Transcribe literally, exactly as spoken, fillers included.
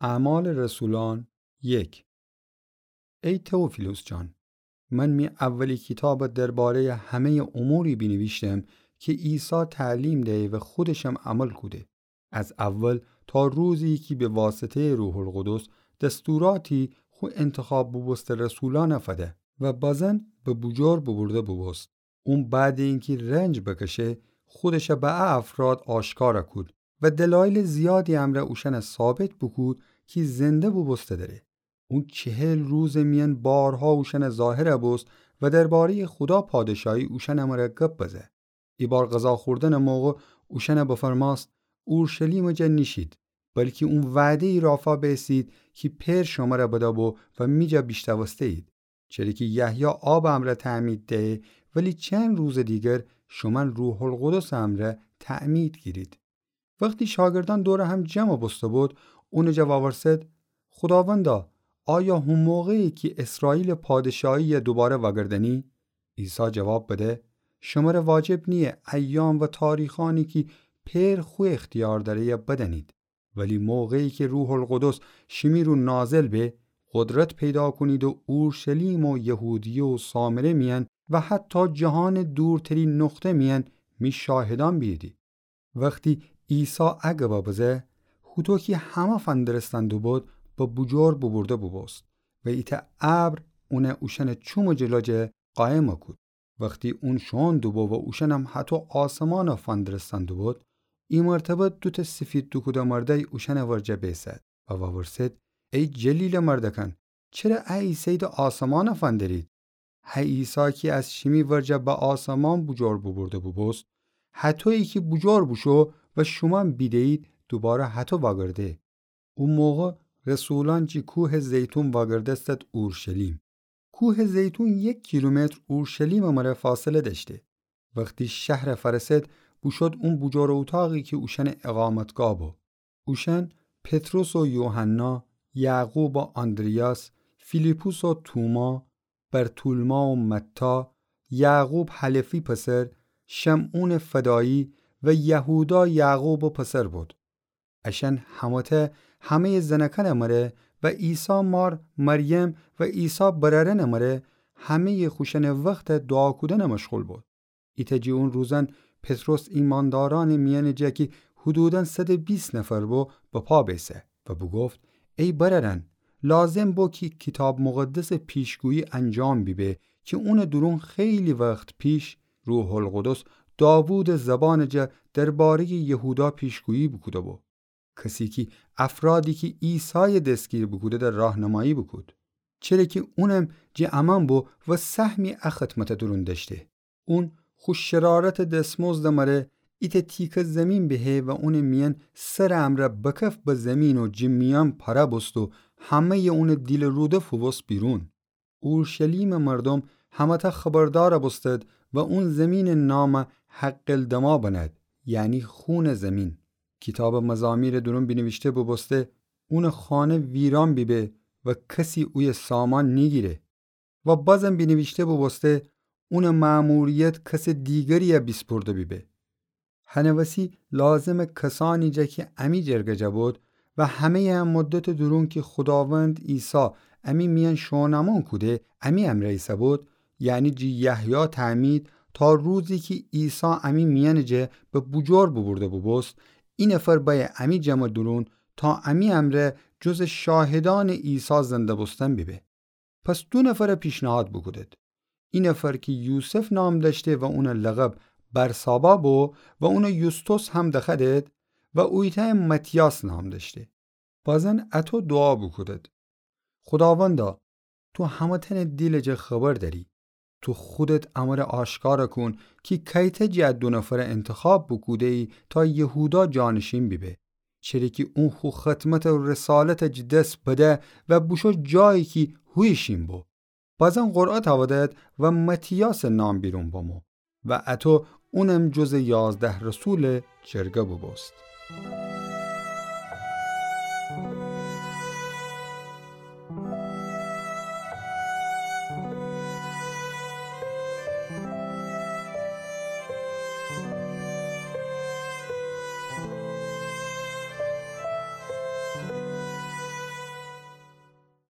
اعمال رسولان یک. ای تئوفیلوس جان، من می اولی کیتابَ درباره‌یٚ همه‌یٚ اموری بینیویشتم کی عیسی تعلیم دیی و خودشم عمل کوده. از اول تا روزی کی به واسطه‌یٚ روح‌القدس دستوراتی خو انتخاب بوبوسته رسولأنَ فده و بازن به بوجور بوبورده بوبوست. اون بعدٚ اینکی رنج بکشه، خودشَ به ا افراد آشکار کود و دلایلٚ زیادی امرأ اوشأنَ ثابت بوکود کی زنده بوبوسته دره. اون چهل روزٚ میأن بارها اوشأنَ ظاهر بوست و درباره‌یٚ خودا پادشاهی اوشأنٚ مره گب بزه. ایبار غذا خوردنٚ موقع اوشأنَ بفرماست: اورشلیمٚ جا نیشید، بلکی اون وعده‌یی رافا بیسید کی پئر شمره بده‌بو و می جا بیشنوسته‌یید. چره کی یحیی آبٚ امرأ تعمید دهه، ولی چند روزٚ دیگر شومأن روح‌القدسٚ امرأ تعمید گیرید. وختی شاگردأن دورٚ هم جمع بوسته بود، اونٚ جا وورسد: خوداوندا، آیا هو موقعی کی اسرائیلٚ پادشاهی دوباره وأگردأنی؟ عیسی جواب بده: شمره واجب نییه ایام و تاریخأنی کی پئر خو اختیار دأره بدأنید، ولی موقعی کی روح‌القدس شیمی رو نازل به، قدرت پیدا کونید و اورشلیم و یهودیه و سامره میأن و حتی جهانٚ دورترین نقطه میأن می شاهدأن بیییدی. وختی عیسی ا گبَ بزه، هوطو کی همه فندرستن دوبود، به بوجور بوبورده بوبوست و ایتأ ابر اونَ اوشأنٚ چومٚ جلو جه قایم کود. وختی اون شوئون دوبو و اوشأنم هطو آسمانَ فندرستن دوبود، ای مرتبه دوتأ سیفید دوکوده مردأی اوشأنٚ ورجه بیسد و وورسد: ای جلیلٚ مردکأن، چره ا عیسی‌یی ده آسمانَ فندرید؟ هه عیسی کی از شیمی ورجه به آسمان بوجور بوبورده بوبوست، هطویی کی بوجور بوشو و شومأن بیده‌یید، دوباره هطو وأگرده. او موقع رسولأن جی کوهٚ زیتون وأگردستد اورشلیم. کوهٚ زیتون یک کیلومتر اورشلیمٚ مره فاصله دأشته. وختی شهرَ فأرسد، بوشود اون بوجورٚ اوطاقی کی اوشأنٚ اقامتگاه بو. اوشأن پطرس و یوحنا، یعقوب و آندریاس، فیلیپس و توما، برتولما و متی، یعقوب حلفی پسر، شمعونٚ فدایی و یهودا یعقوبٚ پسر بود. اشأن همه‌تأ همه‌یٚ زنأکأنٚ مره و عیسی مار مریم و عیسی برأرأنٚ مره همه‌یٚ خوشأنٚ وخت دوعا کودنٚ مشغول بود. ایتأ جٚه اون روزأن پطرس ایماندارأنٚ میأنٚ جا کی حدوداً صد و بیست نفر بو، به پا بیسه و بوگفت: ای برأرأن، لازم بو کی کیتاب مقدسٚ پیشگویی انجام بیبه کی اونٚ دورون خیلی وخت پیش روح‌القدس داوودٚ زبانٚ جا درباره‌یٚ یهودا پیشگویی بوکوده‌بو. کسی کی افرادی کی عیسایَ دسگیر بوکوده‌ده راهنمایی بوکود. چره کی اونم جٚه امأن بو و سهمی ا خدمتٚ دورون دأشته. اون خو شرارتٚ دسمزدٚ مره ایتأ تیکه زیمین بهه و اونٚ میأن سرٚ امرأ بکف به زیمین و جٚه میأن پره بوست و همه‌یٚ اونٚ دیلٚ روده فووست بیرون. اورشلیمٚ مردوم همه‌تأ خبردار بوستد و اون زیمینٚ نام حقل دما بنأد، یعنی خونٚ زیمین. کیتابٚ مزامیرٚ دورون بینیویشته بوبوسته: اونٚ خانه ویران بیبه و کسی اویه سامان نیگیره. و بازم بینیویشته بوبوسته: اونٚ مأموریت کسٚ دیگری‌یه بیسپرده بیبه. هنٚ وسی لازمه کسأنی جا کی امی جرگه جا بود و همه‌یٚ ا مدتٚ دورون کی خوداوند عیسی امی میأن شوئونٚ امون کوده، امی امرأ ایسه‌بود، یعنی جٚه یحیی تعمید تا روزی کی عیسی امی میأنٚ جا به بوجور بوبورده بوبوست، ای نفر بأیه امی جمعٚ دورون تا امی امرأ جزٚ شاهدأنٚ عیسی زنده بوستن بیبه. پس دو نفر پیشنهاد بوکودد. ای نفر کی یوسف نام دأشته و اونٚ لقب برسابا بو و اونٚ یوستوس هم دخوأدد و اویتأیم متیاس نام دأشته. بازن اطو دوعا بوکودد: خوداوندا، تو همه‌تأنٚ دیلٚ جا خبر دأری. تو خودت امره آشکار کون کی کیته جٚه ا دو نفر انتخاب بوکوده‌یی تا یهودا جانشین بیبه. چره کی اون خو خدمت و رسالت جٚه دس بده و بوشو جایی کی هویه شین بو. بازن قرعه تأودد و متیاسٚ نام بیرون بامو و اطو اونم جزٚ یازده رسولٚ جرگه بوبوست.